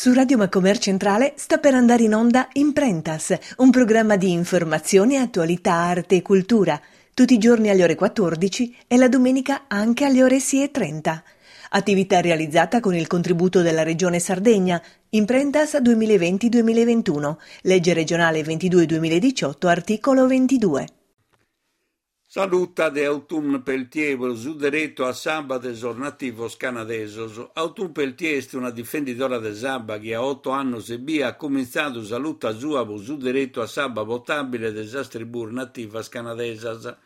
Su Radio Macomer Centrale sta per andare in onda Imprentas, un programma di informazione, attualità, arte e cultura, tutti i giorni alle ore 14 e la domenica anche alle ore 6.30. Attività realizzata con il contributo della Regione Sardegna, Imprentas 2020-2021, legge regionale 22-2018, articolo 22. Sa luta de Autumn Peltier pro su deretu a s'abba de sos nativos canadesos. Autumn Peltier est una difendidora de s'abba chi a oto annos ebbia at cumintzadu sa luta sua pro su deretu a s'abba potàbile de sas tribùs nativas canadesas.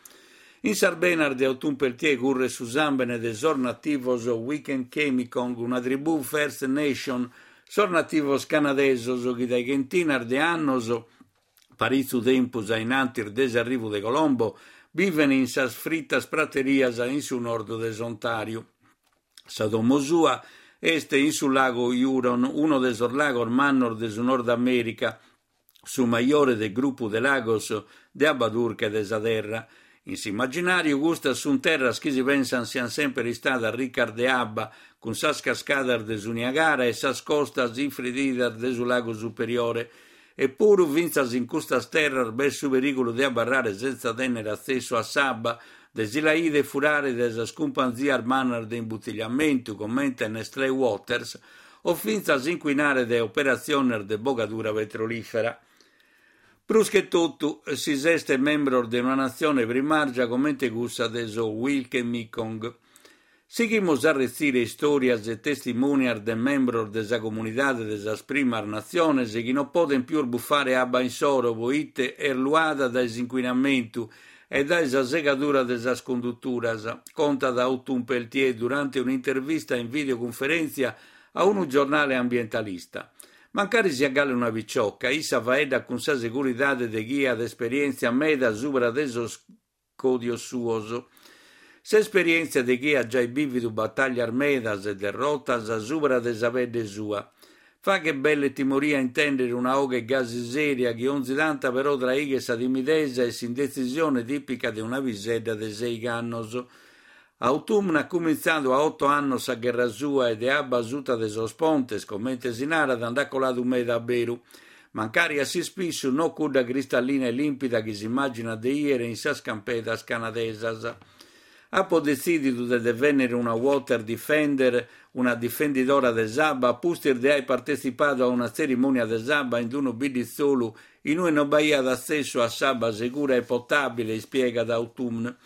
In sas benas de Autumn Peltier curret su sàmbene de sos nativos Wikwemikong, una tribù First Nation, sos nativos canadesos chi dae chentinas de annos Paritzu tempus a in antis de s'arrivu de Colombo, biven in sas fritas praterias in su nord de s'Ontàriu. Sa domo sua est in su lagu Huron, unu de sos lagos mannos de su Nord Amèrica, su majore de grupu de lagos de abba durche de sa Terra. In s'immaginàriu custas sunt terras chi si pensant siant semper istadas ricas de abba, cun sas cascadas de su Niagara e sas costas infrididas de su Lagu Superiore. Epuru fintzas in custas terras b'est su perìgulu de abarrare sentza tènnere atzessu a s'abba, de si la 'ider furare dae sas cumpanzias mannas de imbutigliamentu comente Nestlé Waters o fintzas incuinare dae operatziones de bogadura petrolìfera. Prus che totu si s'est membros de una natzione primàrgia comente cussa de sos Wikwemikong. Sighimus a retzire istòrias e testimonias de membros de sa comunidade de sas primas natziones chi non podent pius bufare abba insoro poite est luada dae s'incuinamentu e dae sa segadura de sas conduturas, contat Autumn Peltier durante un'intervista in videocunferèntzia a unu giornale ambientalista. Mancari siat galu una picioca, issa faeddat cun sa seguridade de chie at esperièntzia meda subra de sos còdios suos. S'esperièntzia de chie at giai bìvidu batàllias medas e derrotas subra de sa pedde sua. Faghet belle timoria intèndere una 'oghe gasi sèria chi onzi tanta però traighet sa timidesa e s'indetzisione tìpica de una pisedda de sèigh'annos. Autumn at cumintzadu a oto annos sa gherra sua e de abba suta de sos pontes, comente si narat, nd'at coladu meda a beru. Mancari a s'ispissu no cudda cristallina e lìmpida chi s'immàginat de 'ìere in sas campedas canadesas. Apo detzìdidu de devènnere una water defender, una difendidora de s'abba, a pustis de aer partetzipadu a una tzerimònia de s'abba in unu bidditzolu in ue non b'aiat atzessu a s'abba segura e potàbile, ispiegat Autumn.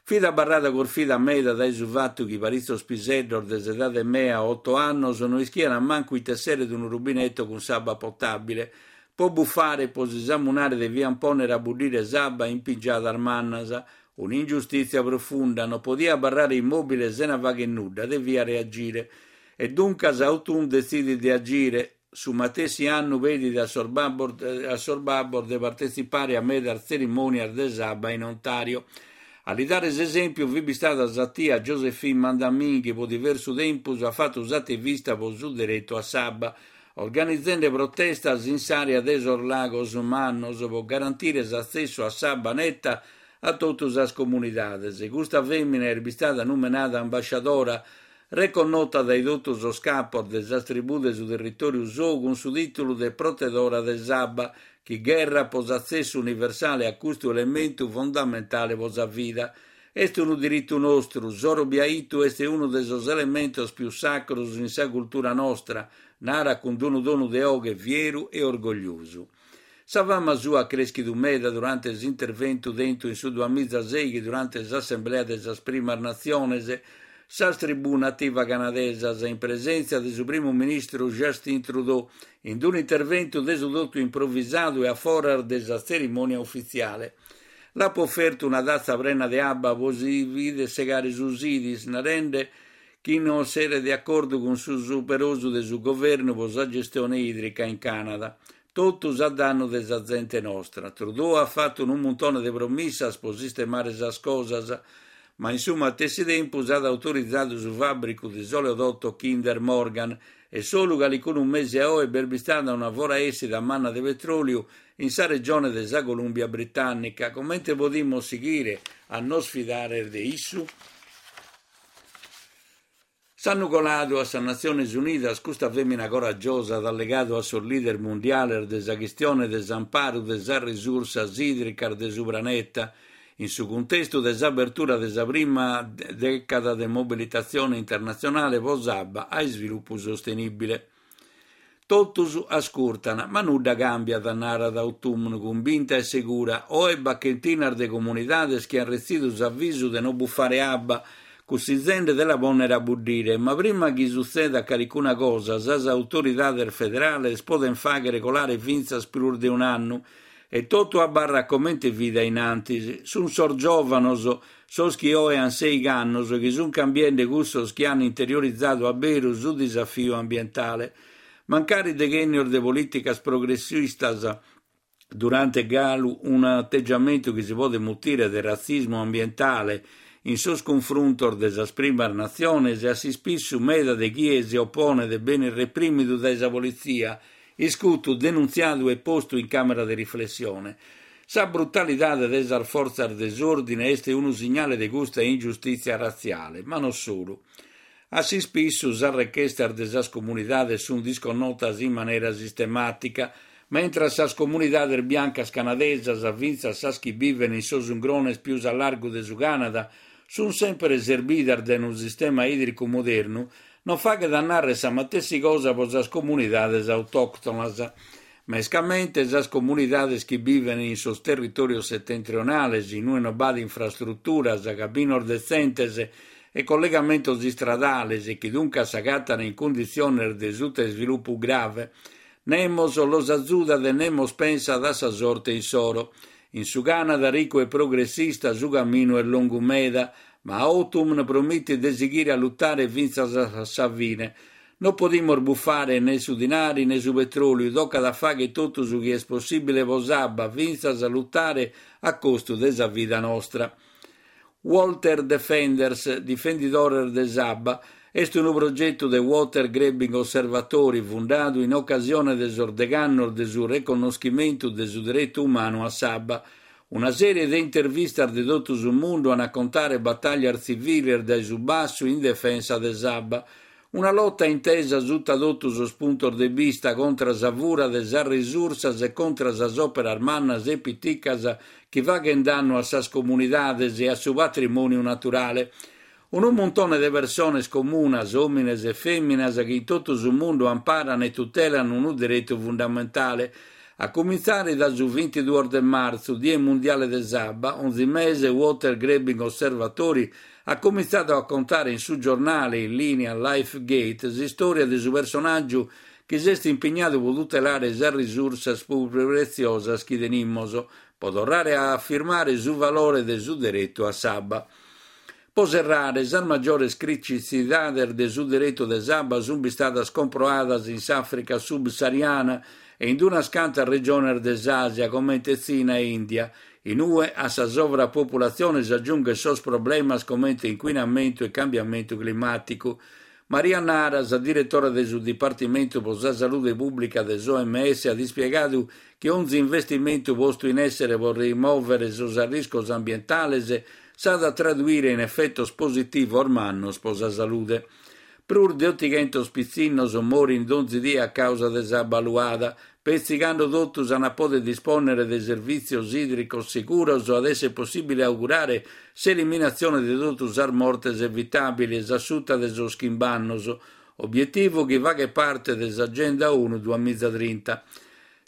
Fit abarrada corfida meda dae su fatu chi paritzos piseddos de s'edade mea, oto annos, no ischiant mancu ite esseret unu rubineto cun s'abba potàbile. Po bufare e po si samunare deviant pònnere a buddire s'abba in pingiadas mannas. Un'ingiustìtzia profunda, no podia abarrare immòbile sena fagher nudda, devia reagire. E duncas Autumn detzidit de agire. Su matessi annu pedit a sos babbos a sos babbos de partetzipare a medas tzerimònias de s'abba in Ontàrio. A li dare s'esèmpiu fit bistada sa tia Josephine Mandamin chi pro diversu tempus at fatu s'ativista pro su deretu a s'abba, organizende protestas in s'àrea de sos lagos mannos pro garantire s'atzessu a s'abba neta a totu sas comunidades. Custa fèmina est bistada numenada ambasciadora reconnota dae totu sos capos de sas tribù de su territòriu sou cun su tìtulu de Protedora de s'abba, chi gherrat pro s'atzessu universale a custu elementu fondamentale pro sa vida. Est unu diritu nostru, s'oro biaitu est unu de sos elementos pius sacros in sa cultura nostra, narat cun unu tonu de 'oghe fieru e orgogliosu. Sa fama sua at crèschidu meda durante s'interventu tentu in su duamizasèighi durante s'Assemblea de sas Primas Natziones, sas tribù nativa canadesas, in presèntzia de su primu ministru Justin Trudeau, in un'interventu de su totu improvisadu e a foras de sa tzerimònia ufitziale. L'apo ofertu una tatza prena de abba pro si bider segare su sidis, narende chi no essere de acordu cun su superosu de su governu pro sa gestione ìdrica in Cànada. Totus a dannu de sa zente nostra. Trudeau at fatu unu muntone de promissas pro sistemare sas cosas, ma in su matessi tempus at autorizadu su fàbricu de s'oleodotto Kinder Morgan e solu calicunu mese a oe b'est bistada una foraessida manna de petròliu in sa regione de sa Colùmbia Britànnica. Comente podimus sighire a nos fidare de issu? S'annu coladu a sas Natziones Unidas custa fèmina coragiosa at allegadu a sos leader mundiales de sa chistione de s'amparu de sas risursas ìdricas de su praneta, in su cuntestu de s'abertura de sa prima dècada de mobilitatzione internatzionale pro s'abba a isvilupu sostenìbile. Totus ascurtan, ma nudda càmbiat, narat Autumn cumbinta e segura. Oe b'at chentinas de comunidades chi ant retzidu s'avisu de no bufare abba, cussizende de la pònnere a buddire. Ma prima chi sutzedat calicuna cosa, sas autoridades federales podent fàghere colare fintzas prus de un'annu e totu abarrat comente fit a in antis. Sunt sos giòvanos, sos chi oe ant sèighi annos, chi sunt cambiende cussos chi ant interiorizadu a beru su disafiu ambientale. Mancari deghènnios de polìticas progressistas durant galu un'ategiamentu chi si podet mutire de ratzismu ambientale in sos cunfruntos de sas primas natziones e a s'ispissu meda de chie si oponet benit reprìmidu dae sa politzia iscutu, denuntziadu e postu in càmera de riflessione. Sa brutalidade de sas fortzas de s'òrdine est unu signale de custa ingiustìtzia ratziale, ma non solu. A s'ispissu sas rechestas de sas comunidades sunt disconnotas in manera sistemàtica, mentras sas comunidades biancas canadesas, fintzas sas chi biven in sos ungrones pius a largu de su Cànada, sunt semper serbidas dae unu sistema ìdricu modernu, Non faghet a nàrrere sa matessi cosa pro sas comunidades autòctonas, mescamente sas comunidades chi bivent in sos territòrios setentrionales, in ue non b'at infrastruturas, caminos detzentes e collegamentos istradales e chi duncas s'agatant in cunditziones de sutaisvilupu grave. Nemos los azudat e nemos pensat a sa sorte issoro. In su Cànada ricu e progressista su caminu est longu meda, Ma Autumn promitit de sighire a lutare fintzas a sa fine. No podimus bufare ne su dinari ne su petròliu, tocat a fàghere totu su chi est possìbile pro s'abba, fintzas a lutare a costu de sa vida nostra. Water Defenders, Difendidores de s'abba, est unu progetu de Water Grabbing Observatory fundadu in ocasione de sos degh'annos de su reconnoschimentu de su deretu umanu a s'abba. Una sèrie de intervistas de totu su mundu an a contare batàllias tziviles dae su bassu in defensa de s'abba. Una lota intesa suta totu sos puntos de bista contra sa fura de sas risursas e contra sas òperas mannas e piticas chi faghent dannu a sas comunidades e a su patrimòniu naturale. Unu muntone de persones comunas, òmines e fèminas chi in totu su mundu amparan e tutelan unu deretu fundamentale. A cumintzare dae su bintiduos de martzu, Die Mundiale de s'Abba, onzi mese Water Grabbing Observatory at cumintzadu a contare in su giornale in lìnia LifeGate s'istòria de su personàgiu chi s'est impignadu pro tutelare sas risursas prus pretziosas chi tenimus, pro torrare a afirmare su valore de su deretu a s'abba. Pro serrare, sas magiores crititzidades de su deretu de s'abba sunt bistadas comproadas in s'Àfrica subsahariana e in unas cantas regiones de s'Àsia, comente Tzina e Ìndia, in ue a sa sovrapopulatzione s'agiunghet sos problemas comente incuinamentu e cambiamentu climàticu. Maria Nara, sa diretora de su Dipartimentu pro sa Salude Pùblica de s'OMS, at ispiegadu chi onzi investimentu postu in èssere pro rimòvere sos arriscos ambientales s'at a traduire in efetos positivos mannos pro sa salude. Prus de otighentos pitzinnos morint donzi die a càusa de s'abba luada. Petzi cando totus ant a pòdere dispònnere de servìtzios ìdricos seguros at èssere possìbile augurare s'eliminatzione de totu sas mortes evitàbiles a suta de sos chimb'annos, obietivu chi faghet parte de s'Agenda ONU duamizatrinta.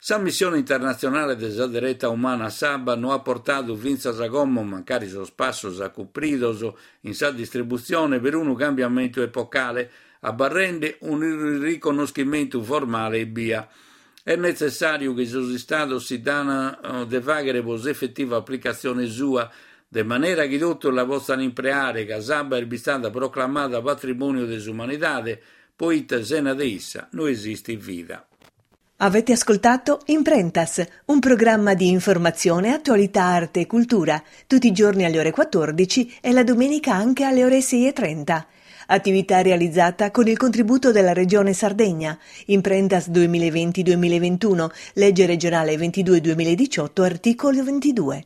Sa missione internatzionale de sa dereta umana a s'abba no at portadu fintzas a como, mancari sos passos acumpridos in sa distributzione, perunu cambiamentu epocale, abarrende unu riconnoschimentu formale ebbia. Est netzessàriu chi sos istados si dan de fàghere pro s'efetiva aplicatzione sua, de manera chi totus la potzan impreare, ca s'abba est bistada proclamada patrimòniu de s'umanidade, poite sena de issa no esistit vida. Avete ascoltato Imprentas, un programma di informazione, attualità, arte e cultura, tutti i giorni alle ore 14 e la domenica anche alle ore 6.30. Attività realizzata con il contributo della Regione Sardegna. Imprentas 2020-2021, legge regionale 22-2018, articolo 22.